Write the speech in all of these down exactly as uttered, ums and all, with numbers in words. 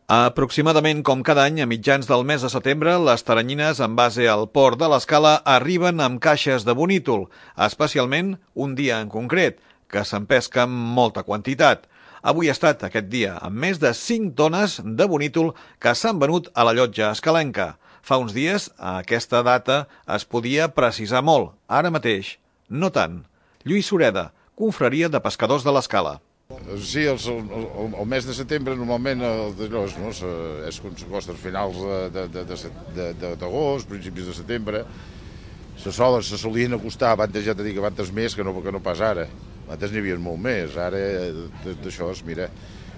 Aproximadament com cada any, a mitjans del mes de setembre, les taranyines en base al port de l'Escala arriben amb caixes de bonítol, especialment un dia en concret, que se'n pesca amb molta quantitat. Avui ha estat aquest dia amb més de cinc tones de bonítol que s'han venut a la llotja escalenca. Fa uns dies, a aquesta data, es podia precisar molt. Ara mateix, no tant. Lluís Sureda, confraria de pescadors de l'Escala. Sí, el, el, el mes de setembre normalment d'allòs, no? És quan s'acosta als finals d'agost, principis de setembre. Se solen, se solien acostar, abans ja t'he dit que abans més que no, que no pas ara. Abans n'hi havia molt més, ara d'això, mira,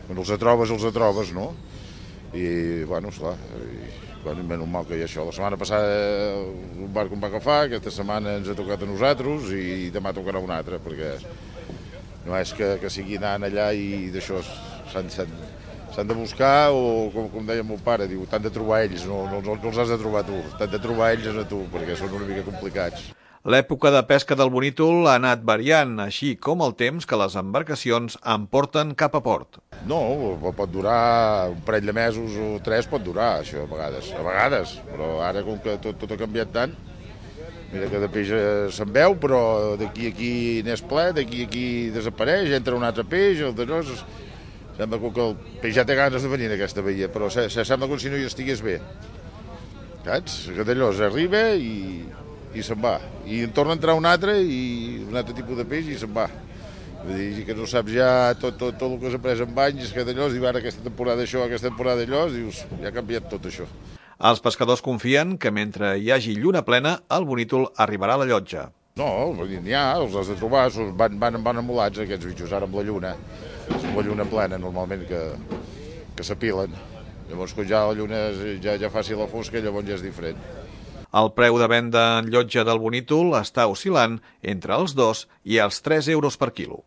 quan els trobes, els trobes, no? I, bueno, esclar, i, bueno, menys mal que hi ha això. La setmana passada un barco em va agafar, aquesta setmana ens ha tocat a nosaltres i demà tocarà un altre, perquè no és que, que sigui anant allà i d'això s'han de buscar, o com, com deia el meu pare, diu, t'han de trobar ells, no, no, no els has de trobar tu, t'han de trobar ells a tu, perquè són una mica complicats. L'època de pesca del bonítol ha anat variant, així com el temps que les embarcacions emporten cap a port. No, pot durar un parell de mesos o tres, pot durar, això, a vegades, a vegades, però ara com que tot, tot ha canviat tant, mira que de peix se'n veu, però d'aquí a aquí n'és ple, d'aquí a aquí desapareix, entra un altre peix, el d'allò, sembla que el peix ja té ganes de venir en aquesta baia, però sembla com si no hi estigués bé. Saps? Que d'allò arriba i, i se'n va. I en torna a entrar un altre, i un altre tipus de peix i se'n va. Vull dir que no saps ja tot, tot, tot el que s'ha pres en anys, que d'allò, diu ara aquesta temporada això, aquesta temporada d'allò, dius, ja ha canviat tot això. Els pescadors confien que mentre hi hagi lluna plena, el bonítol arribarà a la llotja. No, n'hi ha, els has de trobar, van, van, van amolats aquests bitxos, ara amb la lluna, amb la lluna plena normalment que, que s'apilen. Llavors quan ja la lluna ja, ja faci la fosca, llavors ja és diferent. El preu de venda en llotja del bonítol està oscil·lant entre els dos i els tres euros per quilo.